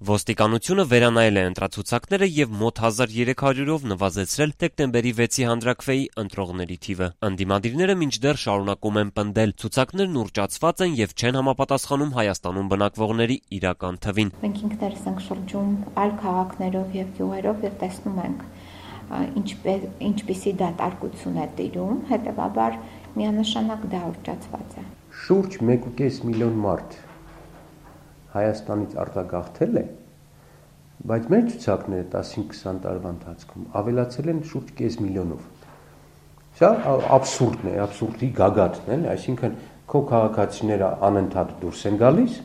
Ոստիկանությունը վերանայել է ընտրացուցակները եւ մոտ 1300-ով նվազեցրել դեկտեմբերի 6-ի հանրաքվեի ընտրողների թիվը։ Ընդդիմադիրները մինչդեռ շարունակում են պնդել, ցուցակներն ուռճացված են եւ չեն համապատասխանում Հայաստանում բնակվողների իրական թվին։ Մենք ինքներս ենք շրջում այլ քաղաքներով եւ գյուղերով եւ տեսնում ենք ինչպիսի դատարկություն է տիրում, հետեւաբար միանշանակ դա ուռճացված է։ Շուրջ 1.5 միլիոն մարդ Հայաստանից արտագաղթել է, բայց մեր ցուցակները 15-20 տարվա ընթացքում ավելացել են շուրջ կես միլիոնով։ Սա աբսուրդն է, աբսուրդի գագաթն է, այսինքն քո քաղաքացիները անընդհատ դուրս են գալիս,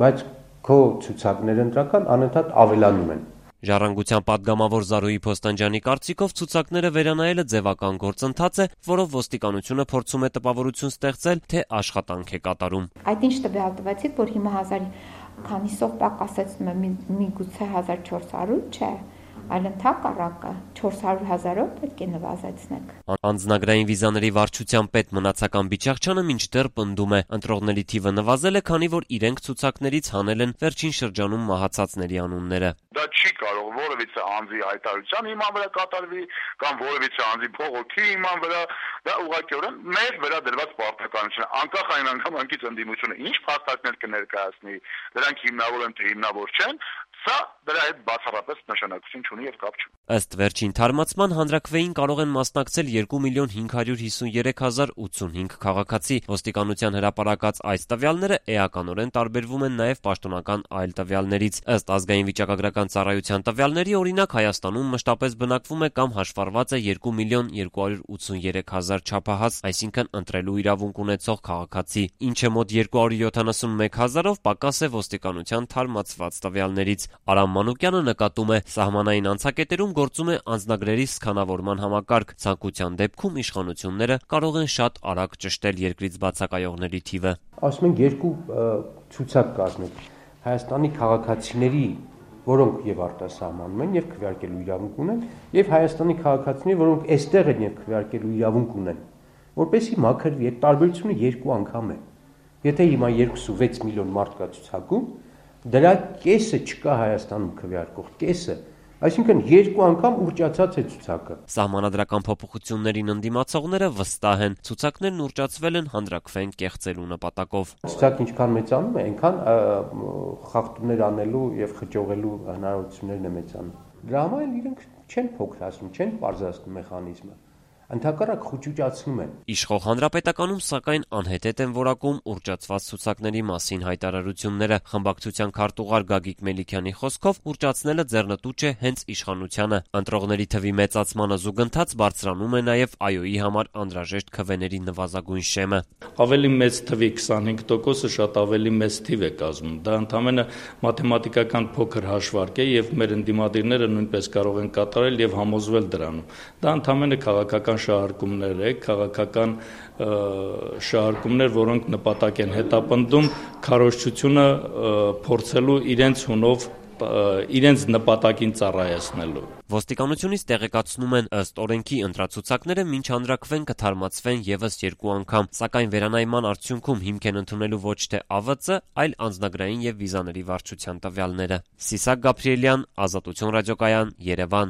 բայց քո ցուցակները ընտրական անընդհատ ավելանում են։ Ժառանգության պատգամավոր Զարուհի Փոստանջյանի կարծիքով ցուցակները վերանայելը ձևական գործընթաց է, որով ոստիկանությունը փորձում է տպավորություն ստեղծել, թե աշխատանք է կատարում։ Այդ ինչ տվյալ տվեցիք, որ հիմա 1000 քանիսով պակասեցնում է միգուցե 1400, չէ, այլ ընդհակառակը 400 000-ով պետք է նվազեցնեք։ Անձնագրային վիզաների վարչության պետ Մնացական Բիչախչյանը մինչդեռ պնդում է, ընտրողների թիվը նվազել է, քանի որ իրենք ցուցակներից հանել են վերջին շրջանում մահացածների անունները։ Դա չի կարող որևիցե անձի հայտարարության հիման վրա կատարվի կամ որևիցե անձի փողոքի հիման վրա, դա ուղղակիորեն մեր վերադրված պարտականություն է, անկախ այն անգամակից ընդդիմությունը ինչ փաստարկներ կներկայացնի, դրանք հիմնավոր են թե հիմնավոր չեն, սա դրա հետ բացառապես նշանակություն չունի եւ կապ չունի։ Ըստ վերջին թարմացման հանրաքվեին կարող են մասնակցել 2.553.085 քաղաքացի։ Ոստիկանության հրապարակած այս տվյալները էականորեն տարբերվում են նաեւ պաշտոնական այլ տվյալներից։ Ըստ ազգային վիճակագրական ծառայության տվյալների, օրինակ Հայաստանում մշտապես բնակվում է կամ հաշվառված է 2.283.000 չափահաս, այսինքն ընտրելու իրավունք ունեցող քաղաքացի, ինչը մոտ 271.000-ով պակաս է ոստիկանության թարմացված տվյալներից։ Արամ Մանուկյանը նկատում է, սահմանային անցակետերում գործում է անձնագրերի սքանավորման համակարգ։ Ցանկության դեպքում իշխանությունները կարող են շատ արագ ճշտել երկրից բացակայողների թիվը։ Ասում են երկու ցուցակ կազմեք Հայաստանի քաղաքացիների, որոնք եւ արտասահմանում են եւ քվեարկելու իրավունք ունեն, եւ Հայաստանի քաղաքացիների, որոնք այստեղ են եւ քվեարկելու իրավունք ունեն, որպեսզի մաքրվի, այդ տարբերությունը երկու անգամ է։ Եթե հիմա 2.6 միլիոն մարդ կա ցուցակում, դրա կեսը չկա Հայաստանում քվեարկող, կեսը, այսինքն երկու անգամ ուռճացած է ցուցակը։ Սահմանադրական փոփոխություններին ընդդիմացողները վստահ են, ցուցակներն ուռճացվել են հանրաքվեն կեղծելու նպատակով։ Ցուցակը ինչքան մեծանում է, այնքան խախտումներ անելու եւ խճողելու հնարավորություններն է մեծանում։ Դրա համար իրենք չեն փոքրացնում, չեն պարզացնում մեխանիզմը, ընդհակառակ խոճուճացնում են։ Իշխող հանրապետականում սակայն անհետետ են որակում ուռճացված ցուցակների մասին հայտարարությունները։ Խմբակցության քարտուղար Գագիկ Մելիքյանի խոսքով ուռճացնելը ձեռնտու չէ հենց իշխանությանը։ Ընտրողների թվի մեծացմանը զուգընթաց բարձրանում է նաև ԱՅՈ-ի համար անհրաժեշտ քվեների նվազագույն շեմը։ Ավելի մեծ թվի 25%-ը շատ ավելի մեծ թիվ է կազմում։ Դա ընդհանրապես մաթեմատիկական փոքր հաշվարկ է եւ մեր ընդդիմադիրները նույնպես կարող են կատարել եւ համոզվել դրանում։ Դա ընդհանրապես քաղաքական շահարկումներ է, քաղաքական շահարկումներ, որոնք նպատակ են հետապնդում քարոզչությունը փորձելու իրենց հունով իրենց նպատակին ծառայեցնելու։ Ոստիկանությունից տեղեկացնում են, ըստ օրենքի ընտրացուցակները մինչ հանրաքվեն կթարմացվեն եւս 2 անգամ, սակայն վերանայման արդյունքում հիմք են ընդունելու ոչ թե ԱՎԾ, այլ անձնագրային եւ վիզաների վարչության տվյալները։ Սիսակ Գաբրիելյան, Ազատություն ռադիոկայան, Երևան։